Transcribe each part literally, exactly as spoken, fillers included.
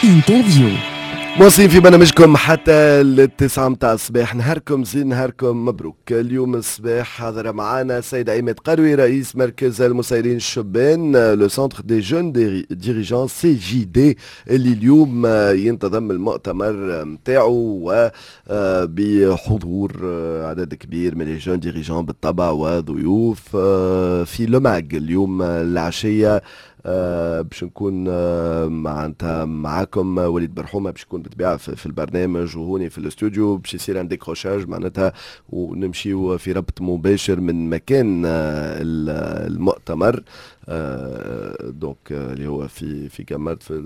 interview. مواصلين في برنامجكم حتى التسعة متاع الصباح. نهاركم زين، نهاركم مبروك. اليوم الصباح حاضر معنا السيد عماد قروي، رئيس مركز المسيرين الشبان، le centre des jeunes dirigeants CJD، اللي اليوم ينتظم المؤتمر نتاعو وبحضور عدد كبير من les jeunes dirigeants بالطبع وضيوف في Le MAG اليوم العشيه. آه، باش نكون آه، معناتها معاكم وليد برحومه، باش يكون بالطبيعة في البرنامج وهوني في الاستوديو، باش يصير un décrochage معناتها ونمشيو في ربط مباشر من مكان آه، المؤتمر، donc اللي هو في في قمرت في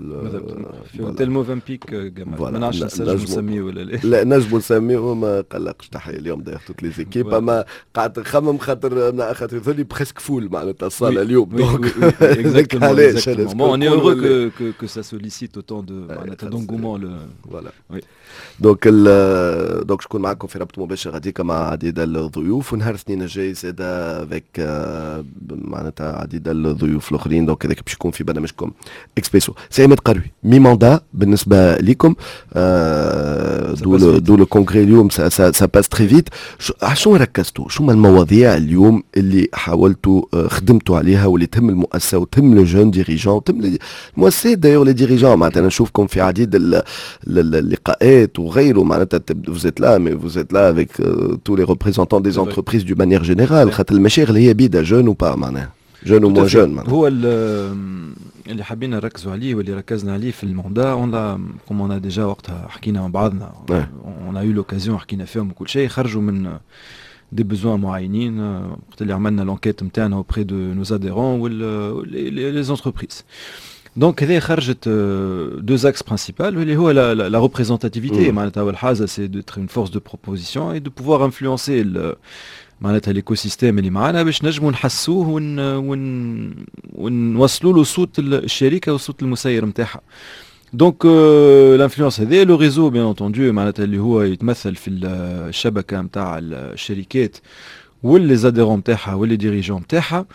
في hôtel Mövenpick قمرت. ما نعرفش نجم نسميه ولا لا. لا، نجمو نسميه، ما قلقش. تحية اليوم d'ailleurs toutes les équipes. اما قعدت نخمم خاطر خاطر يظل presque full معناتها الصاله اليوم. donc علاش Bon, on est heureux que, que, que ça sollicite autant de d'engouement. Le... Voilà. Oui. donc donc شكون معكم في ربط مباشر غاديك مع عديد الضيوف، ونهار الاثنين الجاي زاد avec معناتها عديد الضيوف الاخرين. donc هذاك باش يكون في برنامجكم اكسبريسو. سي عماد قروي، mi-mandat بالنسبة لكم، d'où d'où le congrès اليوم، ça ça passe très vite. شنو ركزتوا؟ شو هما المواضيع اليوم اللي حاولتوا خدمتوا عليها واللي تهم المؤسسة وتهم les jeunes dirigeants وتهم المؤسسات d'ailleurs، les dirigeants؟ معناتها نشوفكم في عديد اللقاءات وغيره، معناتها vous êtes là mais vous êtes là avec euh, tous les représentants des entreprises d'une manière générale، خاطر المشاغل هي بيدا jeunes ou pas، معناها jeunes ou moins jeunes. هو اللي حابين نركزوا عليه واللي ركزنا عليه في ال mandat، on l'a comme on a déjà وقتها حكينا مع بعضنا، on a eu l'occasion حكينا فيهم وكل شيء، خرجوا من des besoins معينين وقت اللي عملنا l'enquête نتاعنا auprès de nos adhérents و les entreprises. donc هذه خرجت deux axes principaux، اللي هو la représentativité، معناتها اول حاجة c'est d'être une force de proposition et de pouvoir influencer معناتها l'écosystème اللي معانا باش نجموا نحسوه ون ون ونوصلوا له صوت الشركة وصوت المسير نتاعها. donc l'influence هذه، le réseau bien entendu، معناتها اللي هو يتمثل في الشبكة نتاع الشركات و les adhérents نتاعها و les dirigeants نتاعها،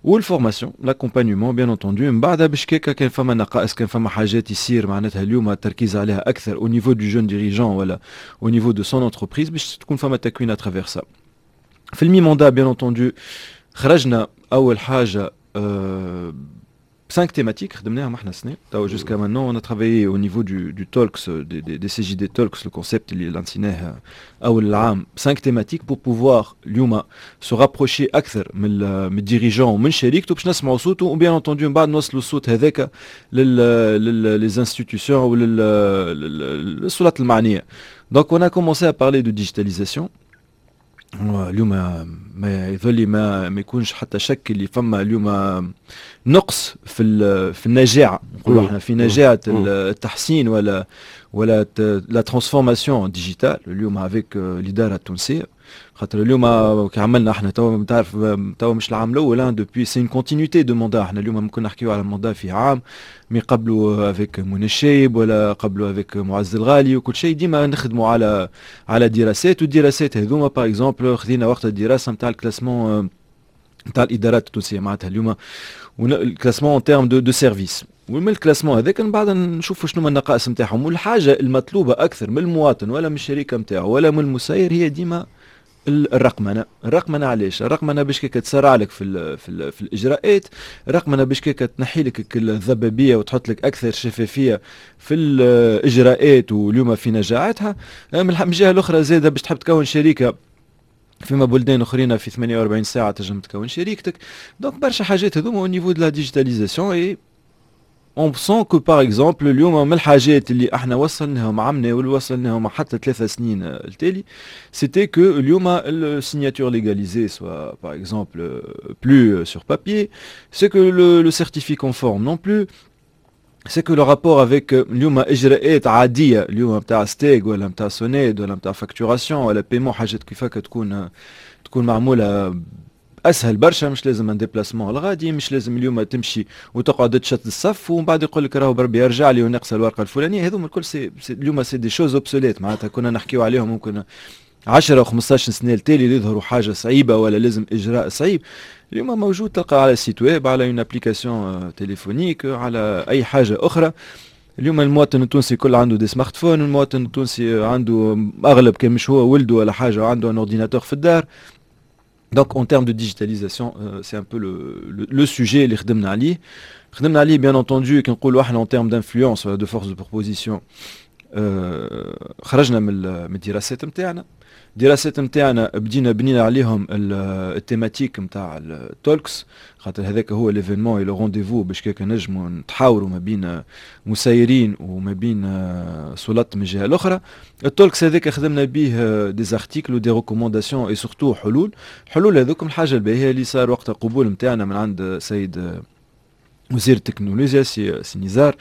وال formation، l'accompagnement bien entendu. من بعدها باش كيكا كان فما نقائص، كان فما حاجات يصير معناتها اليوم التركيز عليها اكثر au niveau du jeune dirigeant ولا au niveau de son entreprise، باش تكون فما تكوين à travers ça. في ال mi-mandat bien entendu خرجنا اول حاجة أه cinq thématiques خدمناهم احنا السنة تو. jusqu'à maintenant on a travaillé au niveau du, du talks des, des, des C J D talks، le concept اللي لانسيناه اول العام، cinq thématiques pour pouvoir اليوم se rapprocher اكثر من من ال dirigeant ومن شريكته باش نسمعوا صوته، و bien entendu من بعد نوصلوا الصوت هذاك لل les institutions وللسلطات المعنيه. donc on a commencé à parler de digitalisation. اليوم ما يظل ما ما يكونش حتى شك اللي فما اليوم نقص في في النجاعه، نقولوا احنا في نجاعه التحسين ولا ولا la transformation digitale اليوم avec الادارة التونسيه، خاطر اليوم كي عملنا احنا تو تعرف تو مش العام الاول، depuis c'est une continuité de mandat. احنا اليوم ممكن نحكيو على mandat في عام، mais قبله avec منى الشايب ولا قبله avec معز الغالي وكل شيء، ديما نخدموا على على دراسات. والدراسات هذوما par exemple خذينا وقت الدراسة نتاع ال classement نتاع الادارات التونسيه، معناتها اليوم ال classement en termes de de services، ومن ال classement هذاك من بعد نشوفوا شنو النقائص نتاعهم. والحاجة المطلوبة اكثر من المواطن ولا من الشركة نتاعو ولا من المسير هي ديما الرقمنه. الرقمنه علاش؟ الرقمنه باش كيك تسرع لك في ال في, ال في الاجراءات، الرقمنه باش كيك تنحي لك الضبابيه وتحط لك اكثر شفافية في الاجراءات واليوم في نجاعتها. من الجهة الاخرى زاده باش تحب تكون شركه، فيما بلدان اخرين في ثمانية وأربعين ساعة تنجم تكون شريكتك. donc برشا حاجات هذوما au niveau de la digitalisation. et on sent que par exemple اليوم من الحاجات اللي احنا وصلناهم عمنا واللي وصلناهم حتى ثلاثة سنين التالي، c'était que اليوم ال signature légalisée soit par exemple plus sur papier، c'est que le certifié conforme non plus، c'est que le rapport avec اليوم اجراءات عادية اليوم نتاع STEG ولا نتاع SONEDE ولا نتاع facturation ولا paiement، حاجات كيفاك تكون تكون معمولة اسهل برشا. مش لازم un déplacement الغادي، مش لازم اليوم تمشي وتقعد تشد الصف ومن بعد يقول لك راهو بربي يرجع لي ونقص الورقة الفلانيه. هذوما الكل c'est, c'est اليوم c'est des choses obsolètes، معناتها كنا نحكيو عليهم ممكن عشرة و خمسطاش سنة التالي يظهروا حاجة صعيبة ولا لازم اجراء صعيب. اليوم موجود، تلقى على site web، على une application téléphonique، على اي حاجة اخرى. اليوم المواطن التونسي كل عنده des smartphones، المواطن التونسي عنده اغلب، كان مش هو ولده ولا حاجه، عنده un ordinateur في الدار. donc en termes de digitalisation، c'est un peu le sujet اللي خدمنا عليه خدمنا عليه bien entendu. كي نقولوا احنا en termes d'influence ولا de force de proposition، خرجنا من الدراسات نتاعنا. الدراسات نتاعنا بدينا بنينا عليهم ال thématique نتاع ال talks، خاطر هذاك هو l'événement، le rendez-vous باش كيك نجموا نتحاوروا ما بين مسيرين وما بين سلطات من الجهة الاخرى. ال talks هذاك خدمنا به des articles و des recommandations et surtout حلول. حلول هذوكم، الحاجة الباهيه اللي صار وقت القبول نتاعنا من عند سيد وزير التكنولوجيا سي, سي نزار،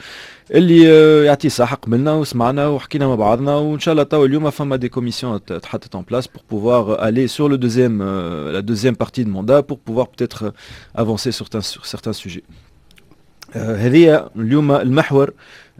اللي يعطيه صحة، قبلنا وسمعنا وحكينا مع بعضنا، وان شاء الله تو اليوم فما des commissions تحطت en place pour pouvoir aller sur le deuxième la deuxième partie de mandat، pour pouvoir peut-être avancer sur sur certains sujets. هذه اليوم المحور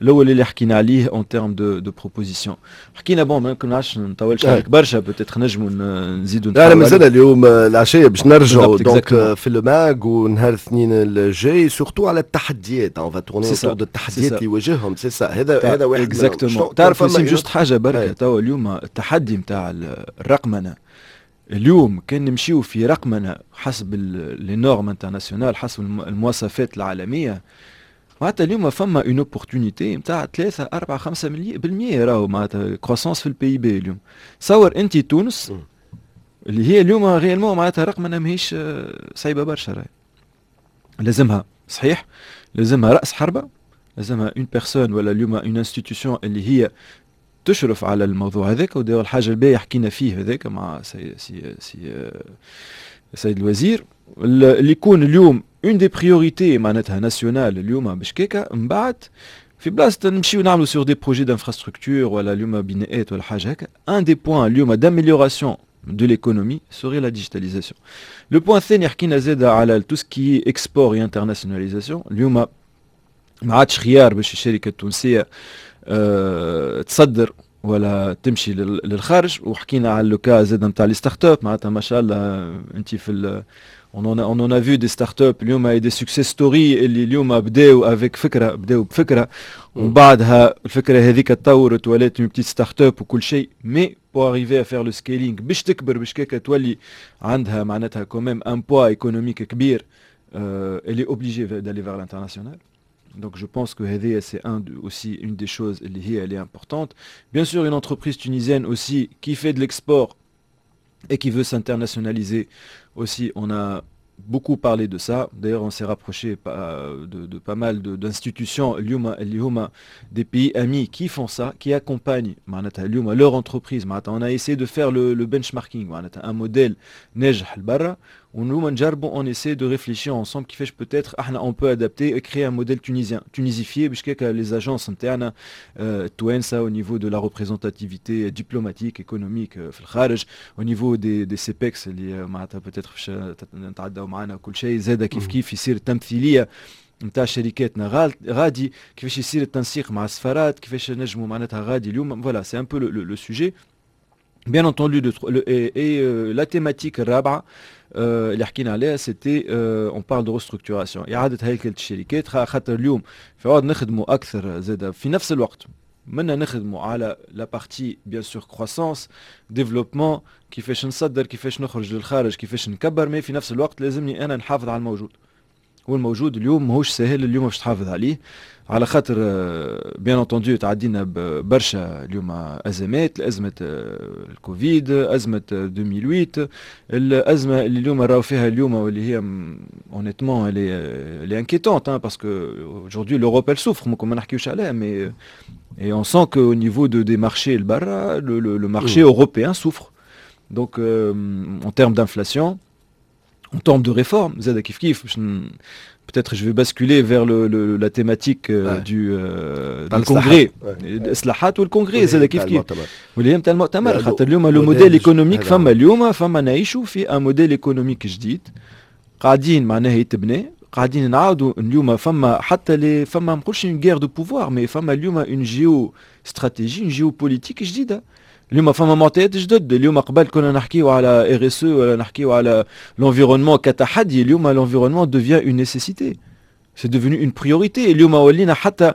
الاول اللي حكينا عليه en termes de de propositions. حكينا، bon، ما نعرفش نطولش عليك برشا، peut-être نجموا نزيدوا. لا لا، مازال اليوم العشية باش نرجعوا donc في le mag ونهار الاثنين الجاي، surtout على التحديات، on va tourner autour de التحديات اللي يواجههم، c'est ça. هذا هذا واحد. exactement. تعرف وسيم، juste حاجة بركه، توا اليوم التحدي نتاع الرقمنه، اليوم كان نمشيو في رقمنه حسب les normes internationales، حسب المواصفات العالميه، معناتها اليوم فما une opportunité نتاع ثلاثة أربعة خمسة بالمية راهو معناتها croissance في ال PIB. اليوم صور انت تونس اللي هي اليوم réellement معناتها رقمنه ماهيش صعيبة برشا، راهي لازمها، صحيح لازمها راس حربه، لازمها une personne ولا اليوم une institution اللي هي تشرف على الموضوع هذاك. وداير الحاجة الباهيه حكينا فيه هذاك مع سي سي سي سيد الوزير، اللي يكون اليوم une des priorités معناتها nationales اليوم، باش كيكا من بعد في بلاصة نمشيو نعملوا sur des projets d'infrastructure ولا اليوم بناءات ولا حاجة هكا، un des points اليوم d'amélioration de l'économie serait la digitalisation. Le point الثاني، حكينا زاد على tout ce qui est export et internationalisation. اليوم ما عادش خيار باش الشركة التونسية أه تصدر ولا تمشي للخارج. وحكينا على le cas زاد نتاع les startups، معناتها ما شاء الله انت في on en a, on en a vu des startups اليوم، des success stories اللي اليوم بداو avec فكره، بداو بفكره ومن بعدها الفكرة هذيك تطورت ولات une petite startup وكل شيء، mais pour arriver à faire le scaling، باش تكبر، باش كيكا تولي عندها معناتها quand même un poids économique كبير، elle est obligée d'aller vers l'international. Donc je pense que هذه c'est un aussi une des choses اللي هي elle est importante. Bien sûr، une entreprise tunisienne aussi qui fait de l'export et qui veut s'internationaliser aussi، on a beaucoup parlé de ça. D'ailleurs، on s'est rapproché de, de pas mal d'institutions des pays amis qui font ça، qui accompagnent leur entreprise. On a essayé de faire le, le benchmarking، un modèle ناجح البرا، ونحن نجربوا، on essaie de réfléchir ensemble كيفاش peut-être احنا on peut adapter et créer un modèle tunisien، tunisifié، باش les agences نتاعنا التوانسة au niveau de la représentativité diplomatique، économique في الخارج، au niveau des des CEPEX اللي معناتها peut-être باش نتعداو معنا كل شيء، زاد كيف كيف يصير التمثيلية نتاع شركاتنا غادي، كيفاش يصير التنسيق مع السفارات، كيفاش نجموا معناتها غادي اليوم. voilà، c'est un peu le sujet bien entendu. de, et, et euh, la thématique الرابعة اللي حكينا عليها، c'était on parle de restructuration، اعاده هيكله الشركات، خاطر اليوم في عوض نخدموا اكثر زاد في نفس الوقت منا نخدموا على la partie bien sûr croissance، développement، كيفاش نصدر، كيفاش نخرج للخارج، كيفاش نكبر، mais في نفس الوقت لازمني انا نحافظ على الموجود، والموجود اليوم ماهوش سهل اليوم باش تحافظ عليه، على خاطر bien entendu تعدينا برشا اليوم ازمات، ازمة الكوفيد، ازمة ألفين وثمانية، الازمة اللي اليوم راهو فيها اليوم، واللي هي honnêtement elle est elle est inquiétante، parce que aujourd'hui l'Europe elle souffre، ممكن ما نحكيوش عليها، mais et on sent qu'au niveau de, des marchés البرا، le, le, le marché mmh. européen souffre. Donc euh, en termes d'inflation، en termes de réforme، زاد كيف كيف peut-être je vais basculer vers le, le, la thématique euh, ouais. du, euh, du congrès، الاصلاحات وال congrès زاد كيف كيف، واللي هي نتاع المؤتمر، خاطر اليوم le modèle économique، فما اليوم فما نعيشوا في un modèle économique جديد قاعدين معناها يتبنى، قاعدين نعاودوا. اليوم فما حتى les فما ما نقولش une guerre de pouvoir، mais فما اليوم une géostratégie، une géopolitique جديده. اليوم فما معطيات جدد. اليوم قبل كنا نحكيو على RSE ولا نحكيو على l'environnement كتحدي. اليوم l'environnement devient une nécessité, c'est devenu une priorité. اليوم ولينا حتى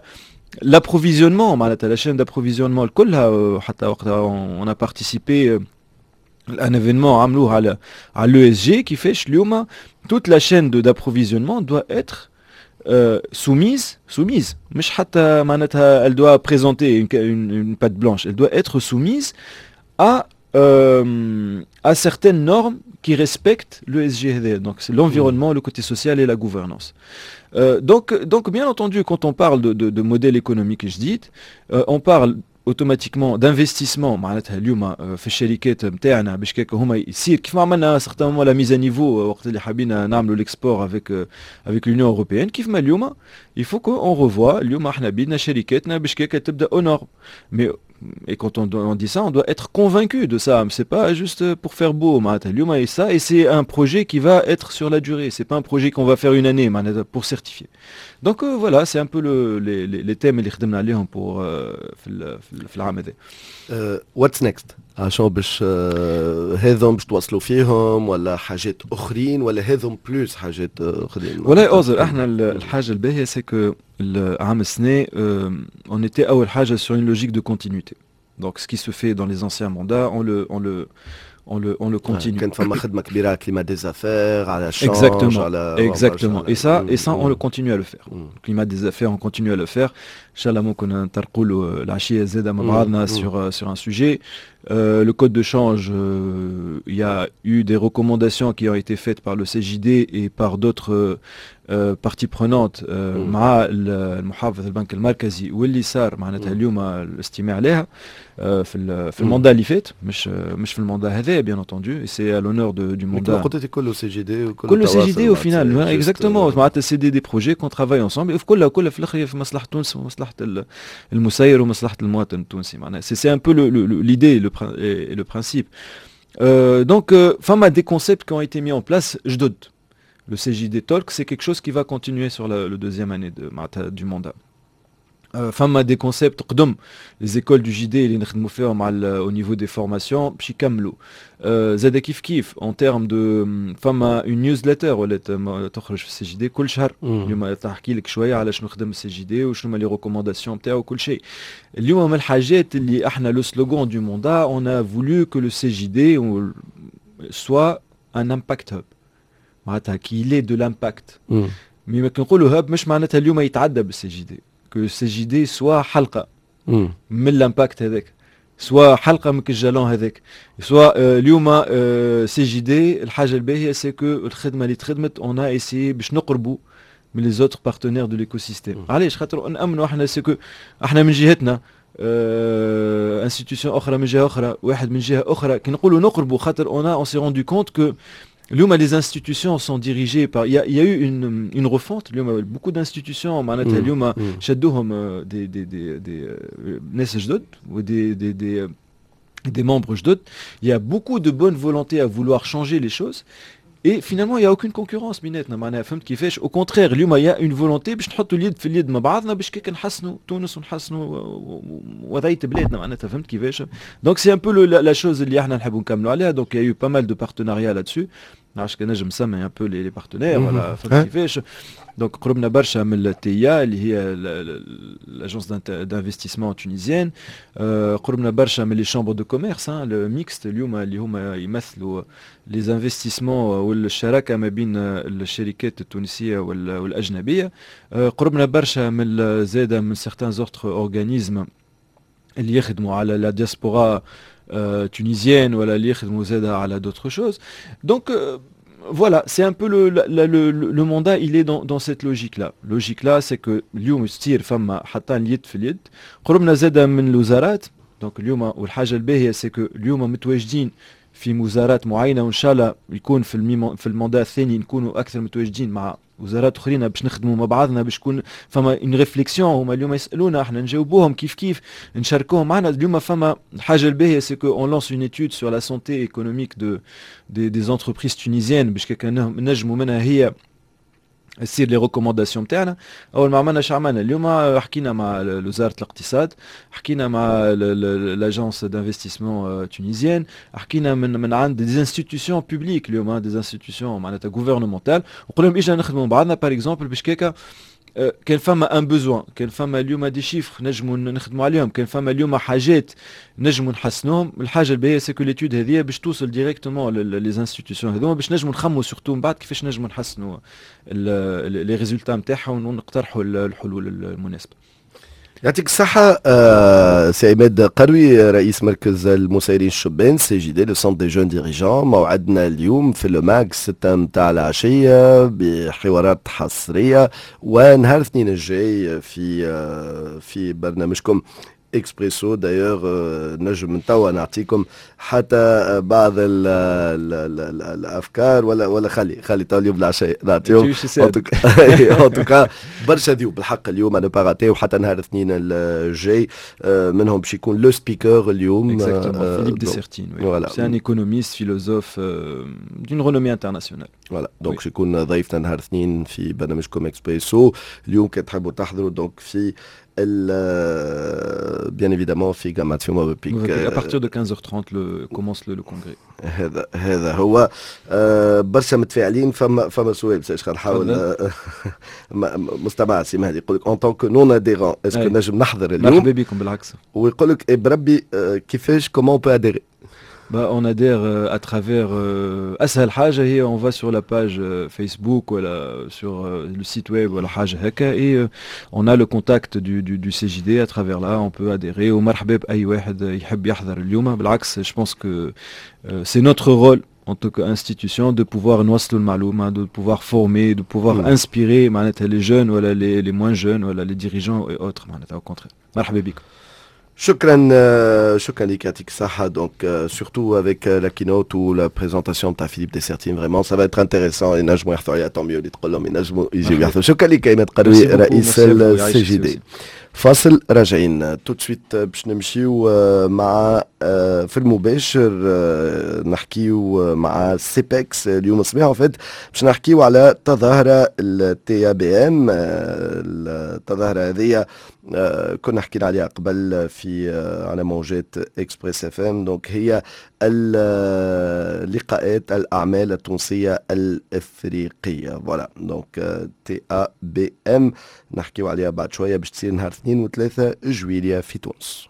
l'approvisionnement, معناتها la chaîne d'approvisionnement كلها. حتى وقتها on a participé un événement عملوه على على l'E S G, كيفاش اليوم toute la chaîne d'approvisionnement doit être euh, soumise soumise مش حتى معناتها elle doit présenter une, une, une patte blanche, elle doit être soumise à euh, à certaines normes qui respectent l'E S G. Donc c'est l'environnement, le côté social et la gouvernance. Euh, donc, donc bien entendu, quand on parle de, de, de modèle économique جديد, euh, on parle automatiquement d'investissement. معناتها اليوم في الشركات نتاعنا باش كيك هما يصير كيف ما عملنا certainement la mise à niveau وقت اللي حبينا نعملوا l'export avec avec l'Union européenne. كيف ما اليوم il faut qu'on revoie اليوم احنا بيدنا شركاتنا باش كيك تبدا aux normes. Mais et quand on, on dit ça, on doit être convaincu de ça. C'est pas juste pour faire beau. Et ça, et c'est un projet qui va être sur la durée. C'est pas un projet qu'on va faire une année pour certifier. Donc euh, voilà, c'est un peu le, les, les, les thèmes اللي خدمنا عليهم pour في في العام هذا. What's next؟ عشان باش هذم باش تواصلوا فيهم ولا حاجات اخرين ولا هذم plus حاجات اخرين؟ والله اوزر احنا الحاجه الباهيه c'est que العام السنه on était اول حاجه sur une logique de continuité. Donc ce qui se fait dans les anciens mandats, on le on le on le, on le continue. كان فما خدمة كبيرة على climat des affaires, على Exactement. على Exactement. Et ça, et ça, on le continue à le faire. Le climat des affaires, on continue à le faire. إن شاء الله ممكن نطرقوا له العشية زادة مع بعضنا sur sur un sujet. Euh, le code de change, euh, il y a eu des recommandations qui ont été faites par le C J D et par d'autres euh, parties prenantes مع المحافظ البنك المركزي واللي صار معناتها اليوم الاستماع لها في في ال mandat اللي فات, مش مش في ال mandat هذا bien entendu, c'est à l'honneur du mandat. قلت كله C J D. كله C J D au final, exactement. معناتها c'est des des projets qu'on travaille ensemble, كلها كلها في الاخر في مصلحه تونس ومصلحه المسير ومصلحه المواطن التونسي. معناها c'est c'est un peu l'idée et le principe. Euh, donc, euh, فما des concepts qui ont été mis en place جدد. Le C J D Talk, c'est quelque chose qui va continuer sur la, le deuxième année de, du mandat. فما des concepts قدم, les écoles du J D اللي نخدموا فيهم على au niveau des formations باش يكملوا زاد كيف كيف en termes de فما une newsletter ولات تخرج في ال C J D كل شهر. اليوم تحكي لك شويه على شنو خدم ال C J D وشنو هما les recommandations نتاعو وكل شيء. اليوم من الحاجات اللي احنا le slogan du mandat, on a voulu que le C J D soit un impact hub, معناتها qu'il ait de l'impact. Mais ما كنقولوا hub مش معناتها اليوم يتعدى بال C J D, que C J D soit حلقه من l'impact هذاك, soit حلقه من ال jalon هذاك, soit اليوم C J D. الحاجه الباهيه c'est que الخدمه اللي تخدمت, on a essayé باش نقربوا من les autres partenaires de l'écosystème. علاش؟ خاطر نامنوا احنا c'est que احنا من جهتنا, institution اخرى من جهه اخرى, واحد من جهه اخرى. كي نقولوا نقربوا خاطر on on s'est rendu compte que اليوم les institutions sont dirigées par, il y a, il y a eu une, une refonte. اليوم beaucoup d'institutions معناتها اليوم شدوهم des des des des ناس جدد و des des des des membres جدد. Il y a beaucoup de bonne volonté à vouloir changer les choses et finalement il y a aucune concurrence بيناتنا. معناها فهمت كيفاش؟ Au contraire, اليوم il y a une volonté باش نحطوا اليد في اليد مع بعضنا باش كيك نحسنوا تونس ونحسنوا وضعيه بلادنا. معناتها فهمت كيفاش؟ Donc c'est un peu la chose اللي احنا نحبوا نكملوا عليها. Donc il y a eu pas mal de partenariats là-dessus. نعرفش كان نجم نسمي un peu les partenaires ولا فهمت كيفاش. Donc قربنا برشا من ال T I A اللي هي l'agence d'investissement tunisienne, قربنا برشا من les chambres de commerce le mixte اليوم اللي هما يمثلوا les investissements والشراكه ما بين الشركات التونسيه والاجنبيه. قربنا برشا من زاده من certains autres organismes اللي يخدموا على la diaspora tunisienne ولا اللي يخدموا زاده على d'autres choses. Donc voilà, c'est un peu le, le, le, le mandat, il est dans, dans cette logique-là. Logique-là, c'est que اليوم يصير فما حتى اليد في اليد. قربنا زاده من الوزارات. Donc اليوم والحاجه الباهيه c'est que اليوم متواجدين في وزارات معينه, وان شاء الله يكون في الميمو في ال mandat الثاني نكونوا اكثر متواجدين مع وزارات اخرين باش نخدموا مع بعضنا, باش يكون فما une réflexion. هما اليوم يسالونا, احنا نجاوبوهم كيف كيف, نشاركوهم معنا. اليوم فما الحاجه الباهيه c'est que on lance une étude sur la santé économique de des, des entreprises tunisiennes باش نجموا منها هي تصير les recommandations تاعنا. اول ما عملنا، عملنا اليوم حكينا مع وزارة الاقتصاد، حكينا مع l'agence d'investissement tunisienne، حكينا من من عند des institutions publiques اليوم، des institutions معناتها gouvernementales، وقلنا لهم اجا نخدموا بعضنا par exemple باش كيكا كان فما un besoin، كان فما اليوم des chiffres نجموا نخدموا عليهم، كان فما اليوم حاجات نجموا نحسنوهم. الحاجة الباهيه c'est que l'étude هذه باش توصل directement les institutions هذوما، باش نجموا نخموا surtout من بعد كيفاش نجموا نحسنوا les résultats نتاعهم ونقترحوا الحلول المناسبه. يعطيك الصحة آه سي عماد قروي، رئيس مركز المسيرين الشبان CJD، le centre des jeunes dirigeants. موعدنا اليوم في Le Mag ستة متاع العشية بحوارات حصرية، ونهار الاثنين الجاي في آه في برنامجكم اكسبريسو. d'ailleurs نجم من توا نعطيكم حتى بعض ال ال ال الافكار، ولا ولا خلي خلي تو اليوم العشاء نعطيهم. en tout cas برشا ضيوف بالحق اليوم à ne pas rater، وحتى نهار الاثنين الجاي منهم باش يكون le speaker اليوم. Philippe Dessertine، voilà، c'est un économiste philosophe d'une renommée internationale. voilà، donc باش يكون ضيفنا نهار الاثنين في برنامجكم اكسبريسو. اليوم كان تحبوا تحضروا donc في bien évidemment في جامعة في موفنبيك. À partir de quinze heures trente le, commence le, le congrès. هذا هذا هو. آه برشا متفاعلين، فما فما سؤال باش نحاول. مستمع سي مهدي يقول لك en tant que non adhérent، est-ce que نجم نحضر اليوم؟ مرحبا بكم بالعكس. ويقول لك بربي كيفاش، comment on peut adhérer؟ Bah, on adhère à travers أسهل حاجة هي on va sur la page Facebook ولا sur le site web ولا حاجة هكا et on a le contact du, du, du C J D، à travers là on peut adhérer. ومرحبا بأي واحد يحب يحضر اليوم. بالعكس، je pense que c'est notre rôle en tant qu'institution de pouvoir نوصلوا المعلومة، de pouvoir former، de pouvoir mmh. inspirer معناتها les jeunes ولا les, les moins jeunes ولا les dirigeants et autres معناتها au contraire مرحبا بكم. شكرا، شكرا لك، يعطيك الصحة. donc surtout avec la keynote ou la présentation تاع Philippe Dessertine، vraiment ça va être intéressant. ينجموا يحضروا عليها، tant mieux اللي تقول لهم ينجموا يجيو يحضروا. شكرا لك عماد قروي، رئيس ال CJD. فاصل، راجعين tout de suite باش نمشيو مع في المباشر، نحكيو مع CEPEX اليوم الصباح. en fait باش نحكيو على تظاهرة ال TABM. التظاهرة هذه كنا حكينا عليها قبل في على موجات Express FM، donc هي اللقاءات الاعمال التونسية الافريقيه، voilà، donc TABM نحكيو عليها بعد شويه، باش تصير نهار اثنين وثلاثة جويليا في تونس.